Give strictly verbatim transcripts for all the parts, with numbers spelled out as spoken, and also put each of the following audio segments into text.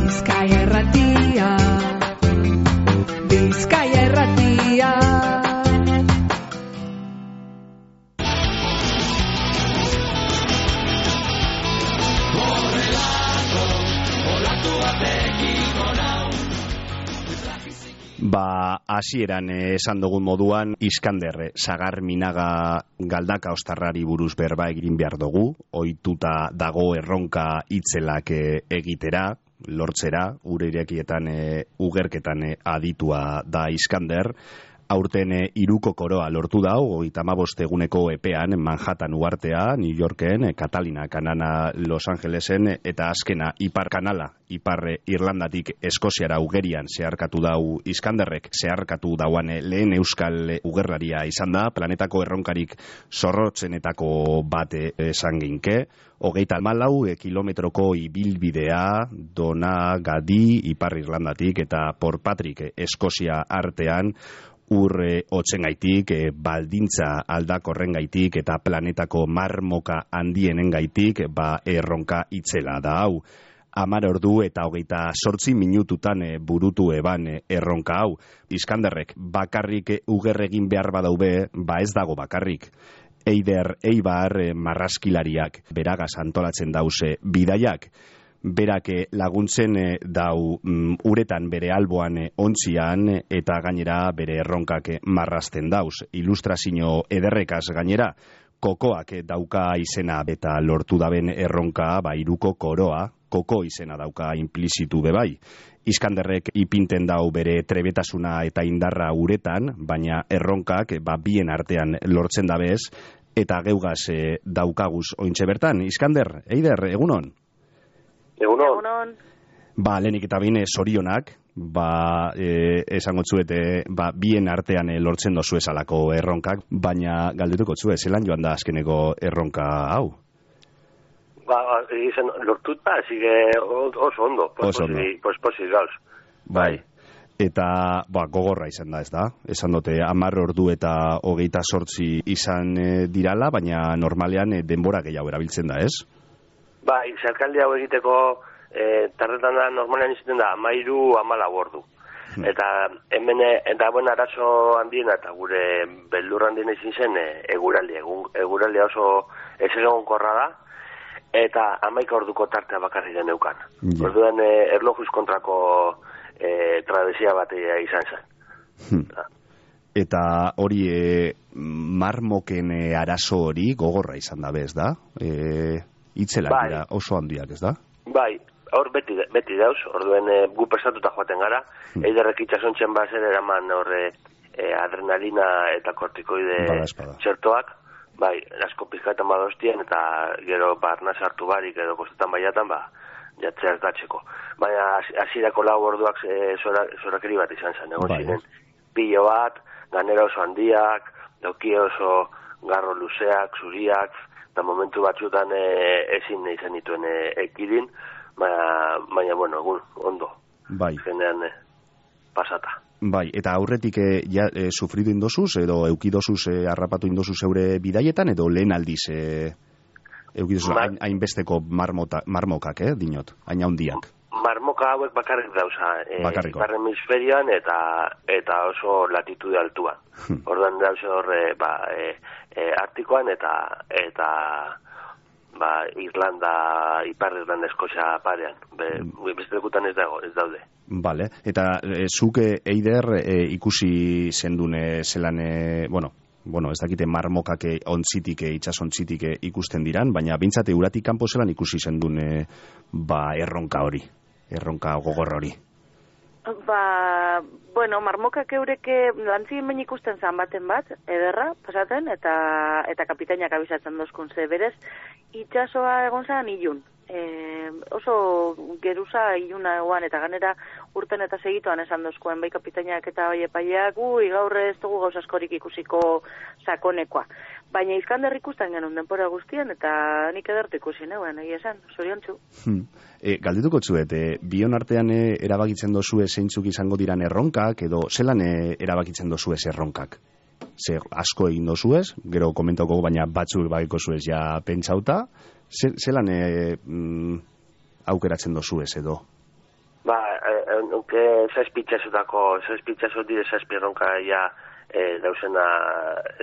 Bizkaia Irratia, Bizkaia Irratia. Ba, hasieran esan dugun moduan, Iskander, Sagar Minaga Galdaka Ostarrari buruz berba egin behar dugu, ohituta dago erronka itzelak egitera, lortzera, ure irekietan, ugerketan aditua da Iskander. Aurten hiruko koroa lortu da, hogeita hamabost eguneko epean, Manhattan uhartea, New Yorken, Catalina, Kanana, Los Angelesen, eta azkena Ipar Kanala, Ipar Irlandatik Eskoziara ugerian zeharkatu dau Iskanderrek, zeharkatu dauan lehen euskal ugerlaria izan da, planetako erronkarik zorrotzenetako bat esan ginke, hogeita hamalau kilometroko ibilbidea, Dona, Gadi, Ipar Irlandatik, eta Port Patrick, Eskozia artean, urre otzengaitik, e, baldintza aldakorrengaitik eta planetako marmoka handienengaitik, ba erronka itzela da hau. Hamar ordu eta hogeita zortzi minututan e, burutu eban e, erronka hau. Iskanderrek bakarrik e, ugerregin behar badaube, ba ez dago bakarrik. Eider Eibar e, marraskilariak beragaz antolatzen dause bidaiak. Berak laguntzen dau um, uretan bere alboan ontzian eta gainera bere erronkak marrasten dauz. Ilustrazio ederrekaz gainera, kokoak dauka izena eta lortu daben erronka, ba hiruko koroa, koko izena dauka implizitu bebai. Iskanderrek ipinten dau bere trebetasuna eta indarra uretan, baina erronkak ba bien artean lortzen dabez, eta geugaz e, daukaguz ointxe bertan. Iskander, Eider, egunon? Egunon. Egunon. Ba, lehenik eta bine sorionak, ba, e, esango tzuete, ba, bien artean e, lortzen dozu esalako erronkak, baina galdetuko txue, zelan joan da azkeneko erronka hau? Ba, izan lortut ba, zige oso ondo, oso ondo. Posposi gauz. Bai. Eta, ba, gogorra izan da, ez da? Esan dute, hamar ordu eta hogeita sortzi izan e, dirala, baina normalean e, denbora gehiago erabiltzen da, ez? Ba, zerkaldi hau egiteko e, tarretan da normalean izaten da amairu amala bordu. Hmm. Eta hemen, eta buen arazo handiena eta gure beldur handiena izin zen e, eguraldi. Eguraldi oso ez egonkorra da, eta amaika orduko tartea bakarri den eukan. Yeah. Orduan e, erlojuz kontrako e, travesia bat izan zen. Hmm. Eta hori e, marmoken e, arazo hori gogorra izan da bez, da? E... Itzelak bai. Dira oso handiak, ez da? Bai, hor beti, beti dauz, orduen e, gu pesatuta joaten gara, hmm. eiderrek itxasontzen bazen eraman horre e, adrenalina eta kortikoide txertoak, bai, asko pizkaetan badostien, eta gero barna sartu barik edo kostetan baiatan, ba, jatzea ez datxeko. Baina hasierako lau orduak e, zorakeri bat izan zen, egon bai. Ziren, pilo bat, ganera oso handiak, dauki oso garro luzeak, zuriak, eta momentu batzutan e, ezin izan dituen e, ekidin, baina, baina, bueno, egun, ondo. Bai. Genean e, pasata. Bai, eta aurretik e, ja, e, sufridu indozuz, edo eukidozuz e, harrapatu indozuz eure bidaietan, edo lehen aldiz e, eukidozuz Ma... hainbesteko marmota, marmokak, eh, dinot, hain handiak. Marmoka hauek bakarrik dauza, e, ipar hemisferioan eta eta oso latitude altuan. Hmm. Orduan dauze horre, ba, e, e, Artikoan eta eta ba, Irlanda, Ipar Irlanda Eskozia parean. Be, hmm. Beste lekutan ez dago, ez daude. Vale. Eta e, zuke Eider e, ikusi zendune zelan, e, bueno, bueno, ez dakite marmokak ontzitik, itxasontzitik ikusten diran, baina bintzate uratik kanpo zelan ikusi zendune ba, erronka hori. Erronka gogor hori. Ba, bueno, marmokak eureke lantzien behin ikusten zan baten bat, ederra, pasaten, eta eta kapitainak abisatzen dozkun ze berez, itxasoa egon zan ilun. E, oso geruza iluna eguan, eta ganera urten eta segituan esan dozkuen, bai kapitainak eta bai epaiak, gu, igaurre ez dugu gauz askorik ikusiko sakonekoa. Baina Iskander ikusten genuen denpora guztien, eta nik edertu ikusi neuen, egia esan, zoriontsu. Hmm. E, galdetuko tzuet, e, bion artean e, erabakitzen dozue zeintzuk izango diran erronkak, edo zelan e, erabakitzen dozue erronkak? Ze asko egin dozuez, gero komentauko baina batzuk bagiko zuez ja pentsauta, zelan e, mm, aukeratzen dozuez edo? Ba, nuke zazpitxazutako, zazpitxazut dire zazpierronka ja e, dauzena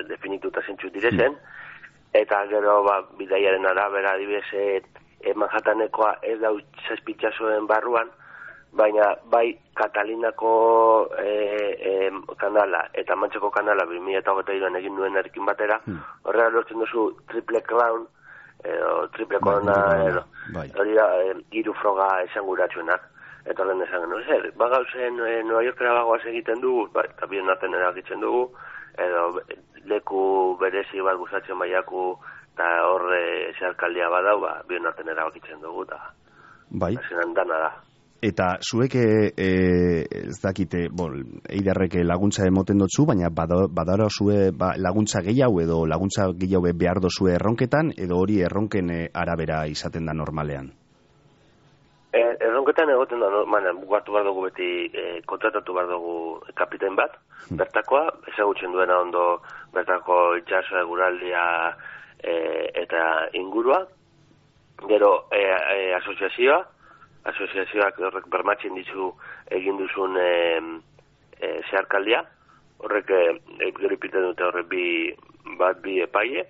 definituta zintxu direzen, eta gero, ba, bidaiaren arabera, adibidez, e, Manhattanekoa ez dau zazpitxazuen barruan, baina bai Katalinako e, e, kanala eta Mantxeko kanala bi mila hogeita hiruan egin duen erekin batera, hmm. horrela lortzen duzu triple crown, edo triple corona, edo hori da, e, hiru froga esanguratsuenak. Eta horren esan, no, zer, bagauzen e, Nueva Yorkera bagoaz egiten dugu, ba, eta bion arten eragitzen dugu, edo leku berezi bat gustatzen baiaku, eta horre zeharkaldia badau, ba, bion arten eragitzen dugu, eta bai. Azenan dana da. Eta zuek e, ez dakite, bon, eiderrek laguntza emoten dutzu, baina badara zue ba, laguntza gehiago edo laguntza gehiago behar dozue erronketan, edo hori erronken arabera izaten da normalean? E, erronketan egoten da normalean, bugatu behar dugu beti, e, kontratatu behar dugu kapitain bat, hmm. bertakoa, ezagutzen duena ondo bertako itxasoa, eguraldia e, eta ingurua, gero e, e, asoziazioa, asoziazioak horrek bermatzen dizu egin duzun e, e, zeharkaldia, horrek e, gero ipiten dute horrek bi, bat bi epaile,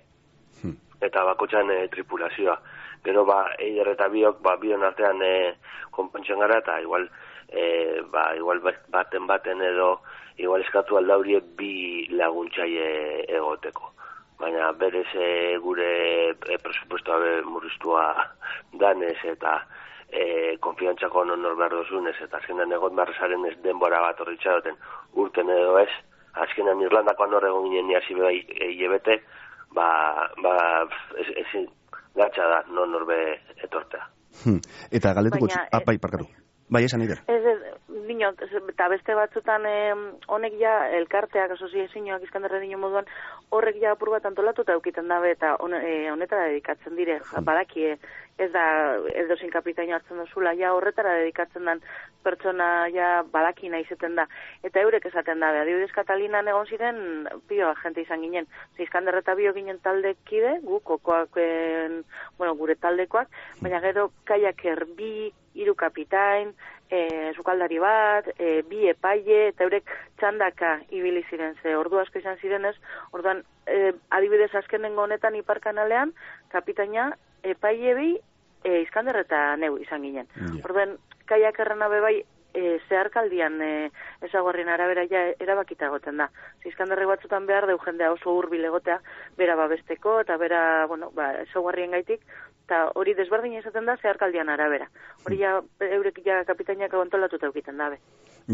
hmm. eta bakotxan e, tripulazioa. Gero ba, eider eta biok, ba, bion artean e, konpontzen gara, eta igual, e, ba, igual baten baten edo, igual eskatu aldaurie bi laguntzaile egoteko. Baina berez e, gure e, presupuestoa murriztua danez eta E, konfiantzako non nor behar dozunez, eta azkenan egon barrezaren ez denbora bat horri txaroten urten edo ez, azkenan Irlandakoan hor egon ginen niazi bai hilebete, ba, ba, ez, ez gatsa da non nor be etortea. Hmm. Eta galdetuko, Baina, ah, bai, parkatu. Bai, esan ider. Ez, ez, dino, eta beste batzutan eh, honek ja, elkarteak, asoziazioak Iskanderra dino moduan, horrek ja apur bat antolatu eta eukiten dabe, eta on, eh, honetara dedikatzen dire, hmm. badaki, ez da, ez dozin kapitaino hartzen dozula, ja horretara dedikatzen den pertsona ja badaki nahi zeten da, eta eurek esaten dabe, adibidez Katalinan egon ziren, pio agente izan ginen, Iskanderra eta bio ginen taldekide, gu, kokoak, en, bueno, gure taldekoak, baina gero kaiaker bi, hiru kapitain, e, sukaldari bat, e, bi epaile, eta eurek txandaka ibili ziren, ze ordu asko izan zirenez, orduan, e, adibidez azkenengo honetan iparkanalean, kapitaina epaile bi, e, Iskander eta neu izan ginen. Yeah. Orduan, kaiak errena bebai, e, zeharkaldian e, ezaguarrien arabera ja erabakita egoten da. Iskanderri batzutan behar deu jendea oso hurbil egotea, bera babesteko, eta bera, bueno, ba, ezaguarrien gaitik, eta hori desberdin izaten da zeharkaldian arabera. Hori ja, eurek ja kapitainak kontolatuta eukiten dabe.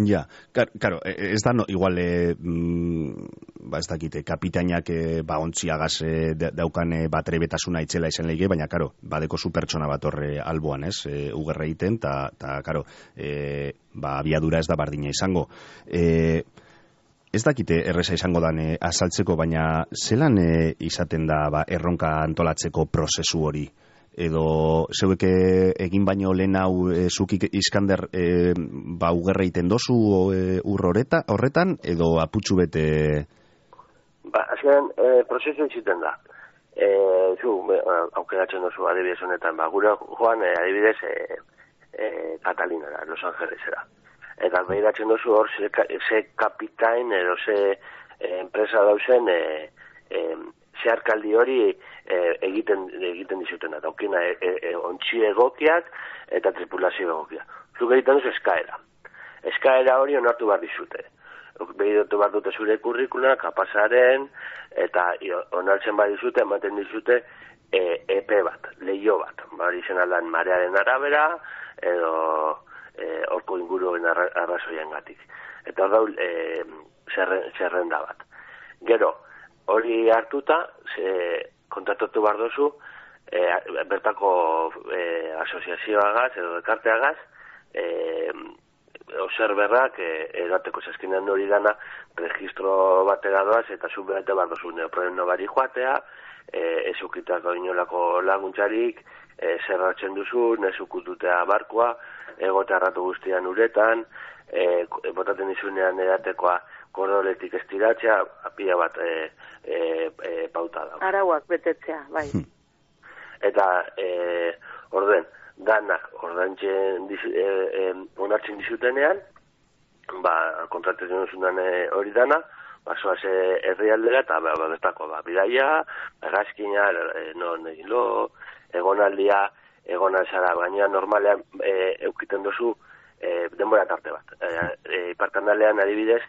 Ja, karo, ez da, no, igual, e, mm, ba, ez dakite, kapitainak e, ba, ontziagaz e, daukan e, bat trebetasuna itzela izan lehige, baina, karo, badeko zu pertsona bat horre alboan, ez, e, ugerra egiten, eta, karo, e, ba, abiadura ez da bardina izango. E, ez dakite erreza izango dan e, azaltzeko, baina zelan e, izaten da ba, erronka antolatzeko prozesu hori? Edo zeuek egin baino lehen hau e, zukik Iskander e, ba ugerra egiten dozu e, ur horreta, horretan, edo aputxu bete? Ba, azken, e, prozesu egiten da. E, zu, aukeratzen dozu adibidez honetan, ba, gure joan e, adibidez e, e, Katalinara, Los Angelesera. Eta behiratzen dozu hor ze, ze kapitain edo ze e, enpresa dauzen e, e, zeharkaldi hori e, egiten egiten dizuten eta aukina e, e, ontsi egokiak eta tripulazio egokiak. Zuk egiten duzu eskaera. Eskaera hori onartu behar dizute. Behiratu behar dute zure kurrikula, kapasaren, eta onartzen behar dizute, ematen dizute e, epe bat, leio bat. Bari izan aldan marearen arabera, edo e, orko inguruen arra, arrazoien gatik. Eta hor daul e, zerren, zerrenda bat. Gero, hori hartuta, ze, kontratatu behar dozu, e, bertako e, asoziazioagaz, edo ekarteagaz, e, obserberrak e, edateko zazkinean hori dana, registro batera doaz, eta zu behate behar dozu neoproen nobari joatea, e, ez ukitako inolako laguntzarik, e, zerratzen duzu, nezukututea barkoa, egote harratu guztian uretan, e, botaten izunean edatekoa, kordoletik estiratzea, apia bat e, e, e, pauta da. Arauak betetzea, bai. Eta, e, orden, danak ordaintzen e, e, onartzen dizutenean, ba, kontratazioan zundan hori dana, ba, soaz herrialdera, eta ba, bestako, ba, bidaia, gazkina, e, non egilo, egonaldia, egonalzara, baina normalean e, eukiten duzu e, denbora tarte bat. E, e, Iparkanalean adibidez,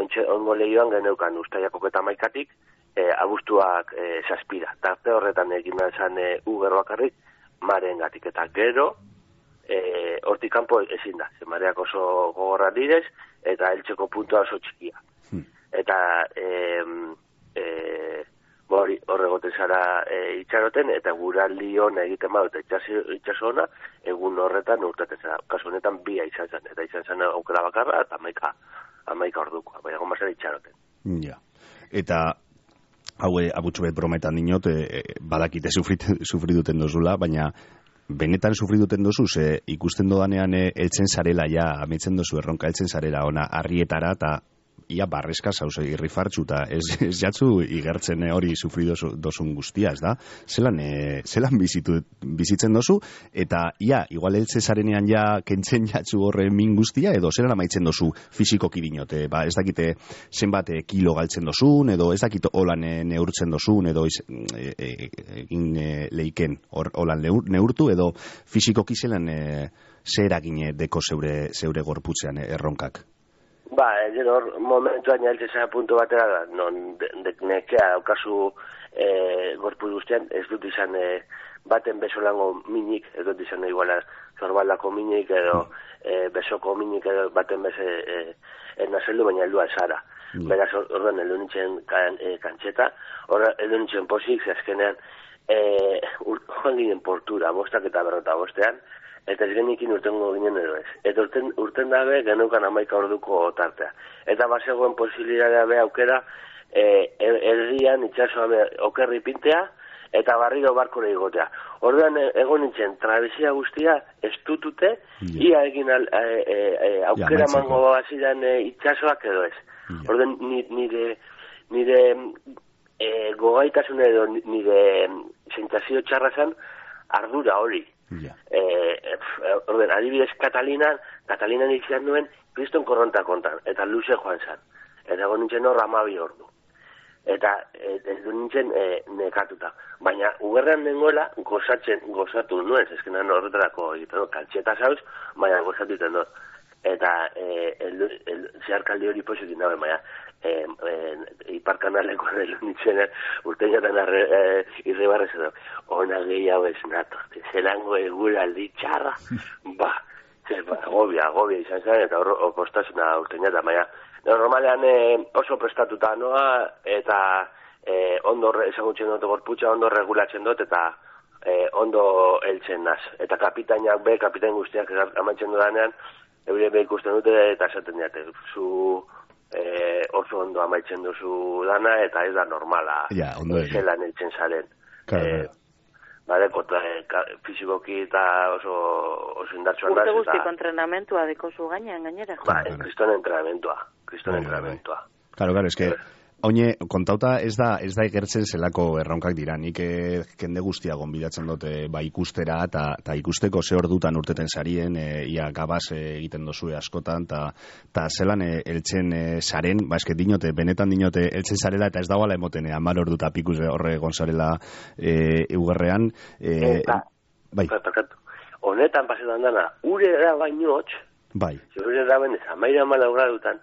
ontxe, ongo lehioan geneukan ustaiako eta maikatik, e, abuztuak e, zazpira. Tarte horretan egin zan e, uger bakarrik, maren gatik. Eta gero, e, hortik kanpo ezin da. Ze mareak oso gogorra direz, eta heltzeko puntua oso txikia. Hmm. Eta e, e, hori horregoten zara e, itxaroten, eta guraldi hona egiten badu, eta itxaso hona, egun horretan urtaten zara. Kasu honetan bia izan zen, eta izan zen aukera bakarra, eta amaika, amaika ordukoa, baina goma zen itxaroten. Ja, eta haue abutsu bet brometan dinot, e, badakite sufri duten dozula, baina benetan sufri duten dozu, ze ikusten dodanean e, eltzen zarela, ja, ametzen dozu erronka eltzen zarela, ona, harrietara, eta ia barrezka zauze irrifartxu, eta ez, ez jatzu igertzen hori sufri dozu, dozun guztia, ez da? Zelan, e, zelan bizitu, bizitzen dozu, eta ia, igual eltze zarenean ja kentzen jatzu horre min guztia, edo zelan amaitzen dozu fizikoki dinote, ba, ez dakite zenbat e, kilo galtzen dozun, edo ez dakite holan e, neurtzen dozun, edo egin e, e, e, leiken or, holan neurtu, edo fizikoki zelan e, zer eragine deko zeure, zeure gorputzean e, erronkak. Ba, gero momentuan jaltzea puntu batera da, non de, de, nekea aukazu e, gorpu guztian, ez dut izan e, baten besolango minik, ez dut izan iguala zorbaldako minik edo e, besoko minik edo baten beze e, ernazeldu, baina heldua zara. Mm. Beraz, orduan heldu nintzen kan, e, kantxeta, orduan heldu nintzen posik, zazkenean e, joan ginen portura, bostak eta berrota bostean, eta ez genikin urtengo ginen edo ez. Eta urten, urten dabe geneukan amaika orduko tartea. Eta bazegoen posibilitatea be aukera e, erdian itxasoa be okerri pintea eta barriro barkore igotea. Orduan egon nintzen travesía guztia estutute, yeah. ia egin al, e, e, e, aukera yeah, mango bazidan e, itxasoak edo ez. Yeah. Orduan nire, nire e, gogaitasun edo nire sentsazio txarra zen ardura hori. Yeah. Eh, orden, adibidez Katalina, Katalina izan nuen kriston korronta kontan, eta luze joan zan. Eta egon nintzen hor amabi ordu. Eta ez du nintzen e, nekatuta. Baina ugerran nengoela gozatzen, gozatu nuen, ezkenan horretarako egiten, kaltxeta zauz, baina gozatu iten dut. Eta e, el, el, zeharkaldi hori pozik nabe, baina e, e, iparkanaleko elu nintzen urteñatan e, irribarrez edo, ona gehiago ez nato, zelango egura aldi txarra, ba, ze, ba, agobia, agobia izan zen, eta hor postasuna urteñatan, baina normalean e, oso prestatuta noa, eta e, ondo ezagutzen dut gorputza, ondo regulatzen dut, eta e, ondo heltzen naz. Eta kapitainak be, kapitain guztiak amaitzen dudanean, eure be ikusten dute eta esaten diate, zu e, oso ondo amaitzen duzu dana eta ez da normala ja, zelan eitzen zaren. Claro. E, badeko e, fizikoki eta oso, oso indartsuan da. Urte guztiko entrenamentua deko zu gainean gainera. Ba, kriston entrenamentua. Kriston entrenamentua. Claro, claro, es que oine, kontauta ez da ez da ikertzen zelako erronkak dira. Nik eh, kende guztia gonbidatzen dute ba ikustera eta ta ikusteko ze ordutan urteten sarien, e, ia gabaz e, egiten dozue askotan ta ta zelan e, eltzen e, saren, ba eske dinote benetan dinote eltzen sarela eta ez dagoela emoten hamar ordu ta pikuz horre gonzarela e, eugerrean e, eta bai. Honetan pasetan dana, ure da baino hots. Bai. Ure da ben hamaika hamalau gradutan.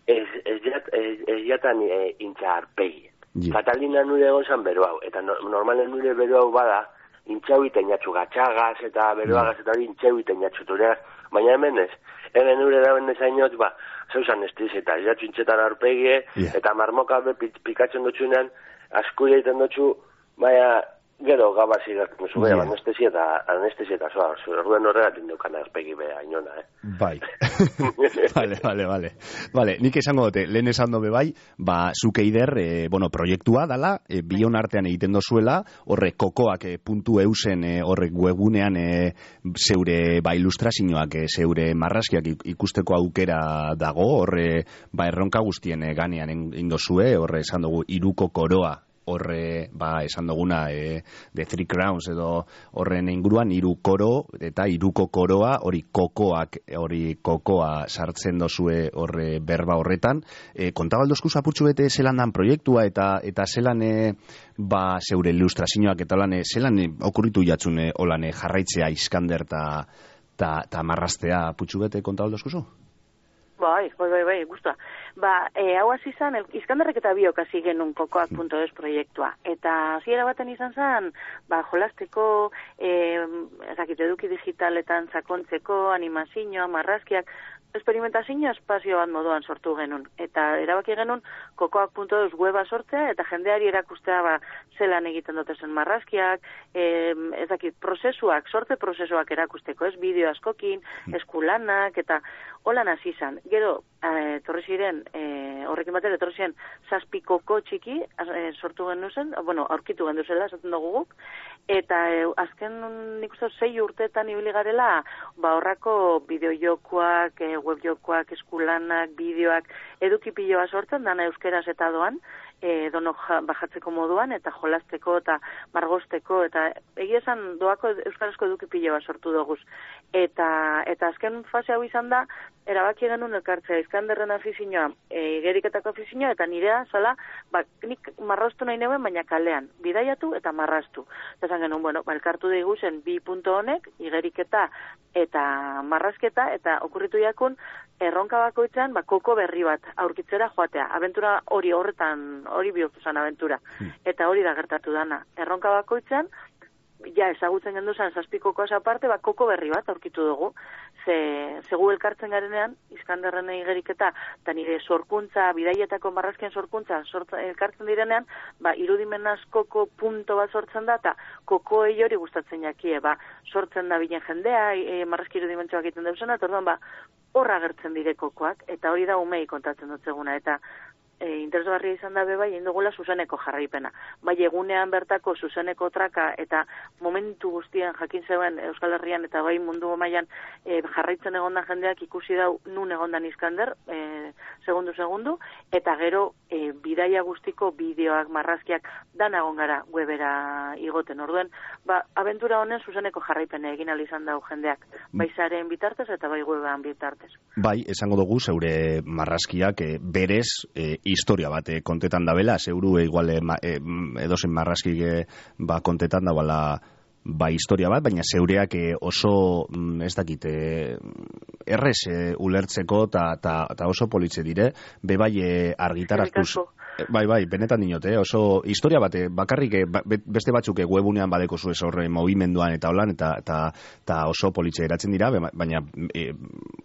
Ez, ez, jat, ez, ez jatan e, intza arpegi. Yeah. Katalina nure egon zan beru hau, eta no, normalen nure beru hau bada, intxau iten jatzu gatxagaz, eta beruagaz, eta hori intxau iten jatzu tureaz, baina hemen ez, hemen nure da ben ezainot, ba, zeuzan estiz, eta ez jatzu intxetan arpegie, yeah. eta marmoka be pikatzen dutxunean, askuia iten dutxu, baina, gero gabazi gertzen zu, yeah. anestesia eta anestesia eta zoa, zuen horregatik dukan arpegi beha, inona, eh? Bai. vale, vale, vale. Vale, nik esango dute, lehen esan dobe bai, ba, zuke ider, e, bueno, proiektua dala, e, bion artean egiten dozuela, horre kokoak e, puntu eusen, e, horre webunean e, zeure ba, ilustrazioak, e, zeure marrazkiak ikusteko aukera dago, horre ba, erronka guztien e, ganean indozue, horre esan dugu, iruko koroa horre, ba, esan duguna, e, The Three Crowns edo horren inguruan, hiru koro, eta hiruko koroa, hori kokoak, hori kokoa sartzen dozue horre berba horretan. E, kontabaldozku zapurtxu bete zelan dan proiektua, eta eta zelan, e, ba, zeure ilustrazioak, eta lan, zelan e, okurritu jatzune, holan, e, jarraitzea Iskander ta, ta, ta marraztea putxu bete kontabaldozku zu? Bai, bai, bai, bai, guztua. Ba, e, hau hasi izan, Iskanderrek eta biok hasi genuen kokoak punto es proiektua. Eta hasiera baten izan zen, ba, jolasteko, e, ezakit, eduki digitaletan sakontzeko, animazioa, marrazkiak, experimentazio espazio bat moduan sortu genuen. Eta erabaki genuen kokoak punto es weba sortzea, eta jendeari erakustea, ba, zelan egiten dotezen marrazkiak, e, ezakit, prozesuak, sorte prozesuak erakusteko, ez, bideo askokin, eskulanak, eta holan hasi izan. Gero, e, torri ziren, e, horrekin batera, torri ziren, zazpikoko txiki, e, sortu genuen zen, bueno, aurkitu genuen zela, esaten dugu guk, eta e, azken, nik uste, sei urteetan ibili garela, ba, horrako bideojokoak, e, webjokoak, eskulanak, bideoak, edukipiloa sortzen, dana euskeraz eta doan, e, dono bajatzeko moduan, eta jolasteko, eta margosteko, eta egia esan doako euskarazko edukipiloa sortu doguz. Eta, eta azken fase hau izan da, erabaki genuen elkartzea, Iskanderren afizioa, e, igeriketako afizioa, eta nirea, zala, ba, nik marraztu nahi neuen, baina kalean, bidaiatu eta marraztu. Eta zan genuen, bueno, ba, elkartu daigu zen bi punto honek, igeriketa eta marrazketa, eta okurritu jakun, erronka bakoitzan, ba, koko berri bat aurkitzera joatea. Abentura hori horretan, hori bihurtu zen abentura. Eta hori da gertatu dana. Erronka bakoitzan, ja ezagutzen gendu zen zazpikokoaz aparte, ba, koko berri bat aurkitu dugu. Ze, zegu elkartzen garenean, Iskanderren igeriketa, eta nire sorkuntza, bidaietako marrazkien sorkuntza, sortzen, elkartzen direnean, ba, irudimenaz koko punto bat sortzen da, eta koko hori gustatzen jakie, ba, sortzen da bilen jendea, e, marrazki irudimentzoak egiten dauzena, eta orduan, ba, horra gertzen dire kokoak, eta hori da umei kontatzen dut zeguna, eta e, interesgarria izan da bebai, egin dugula zuzeneko jarraipena. Bai, egunean bertako zuzeneko traka, eta momentu guztian jakin zeuen Euskal Herrian, eta bai mundu mailan e, jarraitzen egondan jendeak ikusi dau nun egondan Iskander, e, segundu segundu, eta gero e, bidaia guztiko bideoak, marrazkiak, dan egon gara webera igoten. Orduen, ba, abentura honen zuzeneko jarraipena egin ahal izan dau jendeak, bai zaren bitartez eta bai webean bitartez. Bai, esango dugu zeure marrazkiak e, berez e, historia bat e, kontetan dabela, zeuru e, igual e, e, edozen marrazkik e, ba, kontetan dabala ba, historia bat, baina zeureak e, oso, ez dakit, e, errez e, ulertzeko eta oso politze dire, bebai e, argitaratuz. Bai, bai, benetan dinote, eh? Oso historia bat, bakarrik beste batzuk webunean badeko zu ez horre movimenduan eta holan, eta, eta, eta oso politxe eratzen dira, baina e,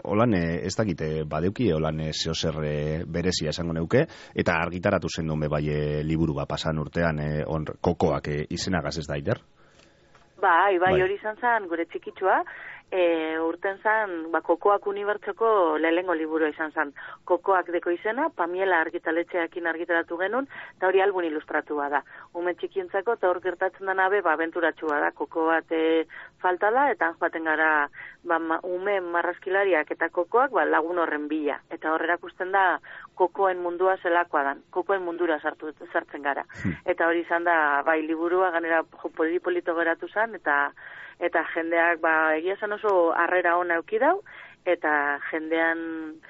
holan ez dakite badeuki, holan zehozer berezia esango neuke, eta argitaratu zen duen bai e, liburu bat pasan urtean e, on, kokoak e, izenagaz ez da, Ider? Bai, bai, hori izan zen gure txikitsua, E, urten zan, ba, kokoak unibertsoko lehengo liburua izan zan. Kokoak deko izena, Pamiela argitaletxeakin argitaratu genuen, eta hori albun ilustratua da. Ume txikientzako, eta hor gertatzen dena be, ba, abenturatxua da. Koko bat e, falta da, eta joaten gara, ba, ma, ume marrazkilariak eta kokoak, ba, lagun horren bila. Eta hor erakusten da, kokoen mundua zelakoa dan. Kokoen mundura sartu, sartzen gara. Eta hori izan da, bai, liburua, ganera, jo, polito geratu zan, eta eta jendeak, ba, egia zen oso harrera ona euki dau, eta jendean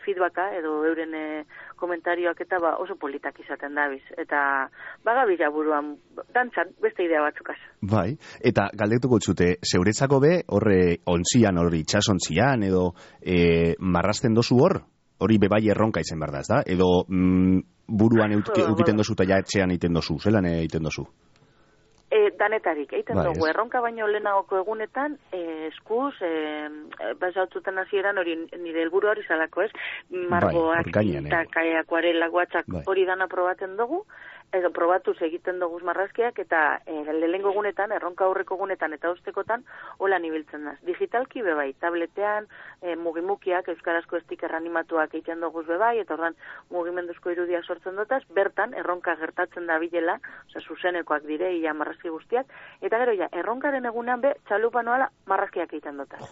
feedbacka edo euren e, komentarioak eta ba, oso politak izaten dabiz. Eta bagabila buruan, dantzan, beste idea batzukaz. Bai, eta galdetuko txute, zeuretzako be, horre ontzian, horri itxasontzian, edo e, marrazten dozu hor? Hori bebai erronka izen behar da, ez da? Edo mm, buruan eukiten dozu eta ja etxean egiten dozu, zelan egiten dozu? E, danetarik, egiten bai, dugu, erronka baino lehenagoko egunetan, e, eskuz, e, basautzuten hasieran hori nire helburu hori zalako, ez? Margoak, bai, tintak, eh. akuarelak, guatzak, bai. Hori dana probatzen dugu, edo probatuz egiten dugu marrazkiak, eta e, lehengo egunetan, erronka aurreko egunetan eta ostekotan, hola nibiltzen da. Digitalki bebai, tabletean, e, mugimukiak, euskarazko stiker animatuak egiten dugu bebai, eta ordan mugimenduzko irudia sortzen dutaz, bertan, erronka gertatzen da bilela, oza, zuzenekoak dire, ia marrazki guztiak, eta gero ja, erronkaren egunean be, txalupa noala marrazkiak egiten dutaz.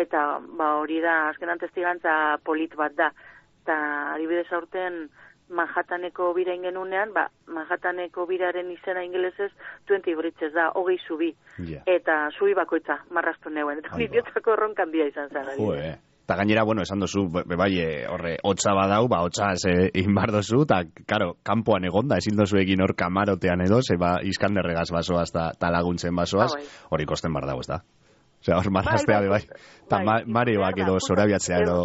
Eta, ba, hori da, azkenan testigantza polit bat da, eta adibidez aurten, Manhattaneko bira ingenunean, ba, Manhattaneko biraren izena ingelesez twenty bridges da, hogei zubi. Yeah. Eta zubi bakoitza, marrastu neuen. Eta bidiotzako erronkan dia izan zara. Jue, eta gainera, bueno, esan dozu, bai, horre, hotza badau, ba, hotzaz eh, inbar dozu, eta, karo, kanpoan egonda, ezin dozu egin hor kamarotean edo, ze ba, iskanderregaz basoaz, eta laguntzen basoaz, hori kosten bar dago, ez da? Osea, hor marraztea, bai, eta marioak edo zorabiatzea edo...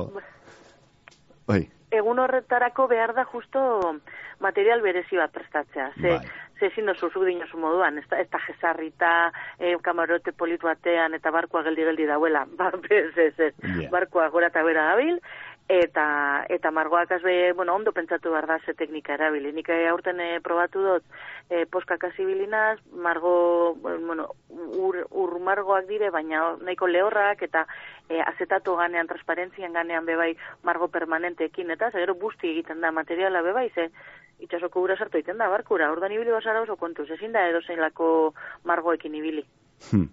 Bai. Egun horretarako behar da justo material berezi bat prestatzea. Ze, bai. Ze ezin dozu zuk dinozu moduan, ez da jesarrita, eh, kamarote politu batean eta barkoa geldi-geldi dauela. Ba, ez, ez, ez. Yeah. Barkoa gora eta bera dabil, eta eta margoak azbe, bueno, ondo pentsatu behar da ze teknika erabili. Nik aurten e, probatu dut e, poskak azibilinaz, margo, bueno, ur, ur margoak dire, baina nahiko lehorrak, eta e, azetatu ganean, transparentzian ganean bebai margo permanenteekin, eta gero busti egiten da materiala bebai, ze itxasoko gura sartu egiten da barkura, ordan ibili basara oso kontuz, ezin da edo zein lako margoekin ibili. Hmm.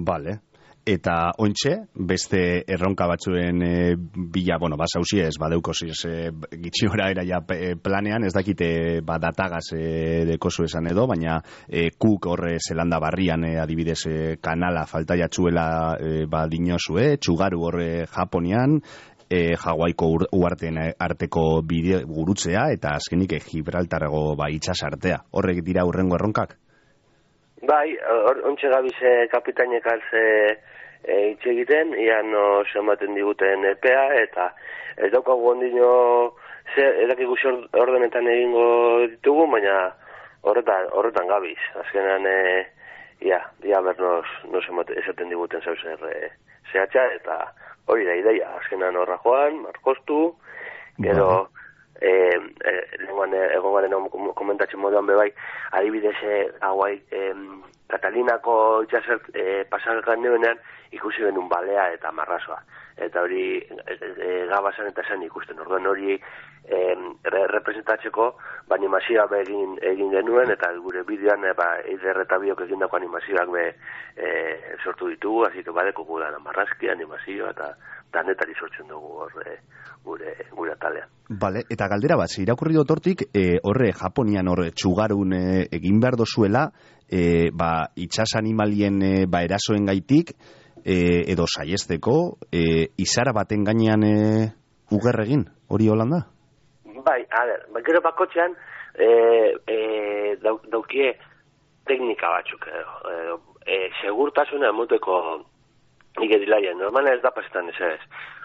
Vale. Eta ontxe, beste erronka batzuen e, bila, bueno, basauzi ez, badeukoziz e, gitxiora era ja e, planean, ez dakite ba, datagaz e, dekozu esan edo, baina e, kuk horre zelanda barrian e, adibidez e, kanala falta jatzuela e, ba, dinozue, txugaru horre Japonian, e, Hawaiiko uarteen arteko bide gurutzea, eta azkenik e, Gibraltarrago ba, itxas artea. Horrek dira hurrengo erronkak? Bai, ontxe gabize kapitainek alze e, itxe egiten, ian no ematen diguten epea, eta ez daukagu ondino edakigu ordenetan egingo ditugu, baina horretan, horretan gabiz. Azkenean, e, ia, ia ber nos, nos esaten diguten zauzer e, zehatxa, eta hori da ideia. Azkenean horra joan, markostu, gero... Eh, eh, lenguan egon garen komentatzen moduan bebai, adibidez eh, hauai eh, Katalinako itxasert eh, pasakan neuenean ikusi benun balea eta marrazoa. Eta hori eh, eh, gabasan eta zen ikusten. Orduan hori eh, re, representatzeko ba, animazioa egin, egin genuen, eta gure bideoan eh, ba, eider eta biok egindako animazioak be, eh, sortu ditugu, hasi que badeko gudan marrazki, animazioa eta danetari sortzen dugu horre gure, gure atalean. Bale, eta galdera bat, irakurri dut hortik, e, horre Japonian horre txugarun e, egin behar dozuela, e, ba, itxas animalien e, ba, erasoen gaitik, e, edo saiesteko, e, izara baten gainean e, uger egin, hori holanda? Bai, a ber, gero bakotxean, e, e, dau, daukie teknika batzuk, e, e, segurtasuna emoteko igedilaien, normala ez da pasetan ez ez,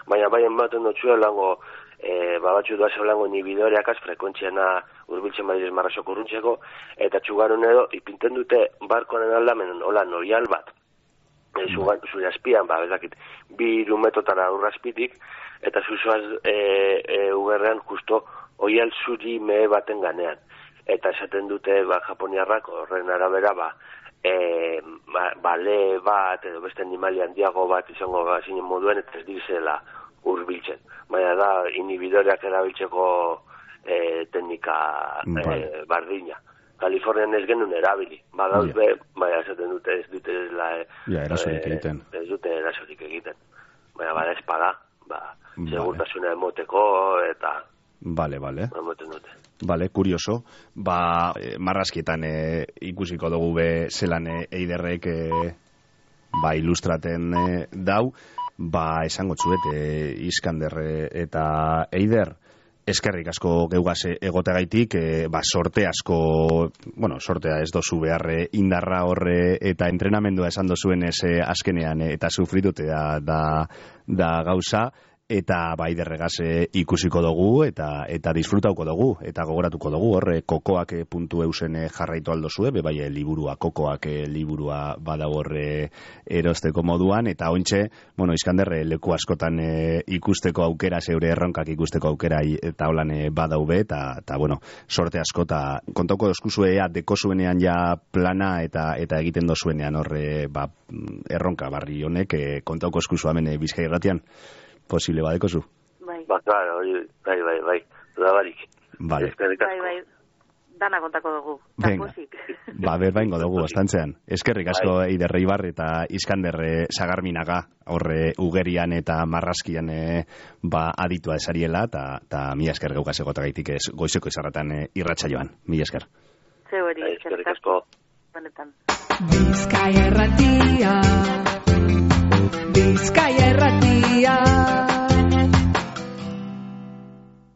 baina bai ematen dutxu lango, e, babatxu duaz lango inhibidoreak az, frekuentziana urbiltzen badiriz marrazoko urruntzeko, eta txugarun edo, ipinten dute barkoaren aldamen, hola, noial bat, e, zure azpian, ba, bezakit, bi irumetotara urrazpitik, eta zuzoaz e, e, ugerrean justo oial zuri mehe baten ganean, eta esaten dute, ba, japoniarrak, horren arabera, ba, E, ba, bale bat edo beste animali handiago bat izango zinen moduen eta ez dizela urbiltzen. Baina da inhibidoreak erabiltzeko e, teknika e, bardina. Kalifornian ez genuen erabili. Badauz be, baina esaten dute ez dute la, ja, erasorik e, egiten. Ez dute erasorik egiten. Baina bada espada, ba, segurtasuna emoteko eta Vale, vale. Emoten dute. Vale, kurioso. Ba, eh, marrazkietan eh, ikusiko dugu be zelan eh, eiderrek eh, ba, ilustraten eh, dau, ba, esango txuet eh, Iskander eta eider eskerrik asko geugaz egotegaitik, eh, ba, sorte asko, bueno, sortea ez dozu beharre indarra horre eta entrenamendua esan dozuen ez eh, azkenean eh, eta sufritute da, da, da gauza, eta bai derregaz ikusiko dugu eta eta disfrutauko dugu eta gogoratuko dugu horre kokoak puntu eusen jarraitu aldo zue, be bai liburua kokoak liburua badago horre erosteko moduan, eta ontxe, bueno, Iskander leku askotan e, ikusteko aukera, zeure erronkak ikusteko aukera eta holan e, badau be, eta, eta bueno, sorte askota kontauko dozkuzue ea dekozuenean ja plana eta eta egiten dozuenean horre ba, erronka barri honek e, kontauko eskuzu hemen e, Bizkai Irratian. Posible badeko zu? Bai. Ba, claro, bai, bai, bai, da barik. Vale. Bai, bai. dana kontako dugu. Venga, ba, berbaingo dugu, ostantzean. Eskerrik asko Eider Eibar eta Iskander Sagarminaga, horre ugerian eta marraskian e, ba, aditua esariela, eta mila esker geukaz egotagaitik ez goizeko izarratan e, irratxa joan. Mila esker. Zeu eri, eskerrik asko. Benetan. Bizkaia erratia, Bizkaia erratia.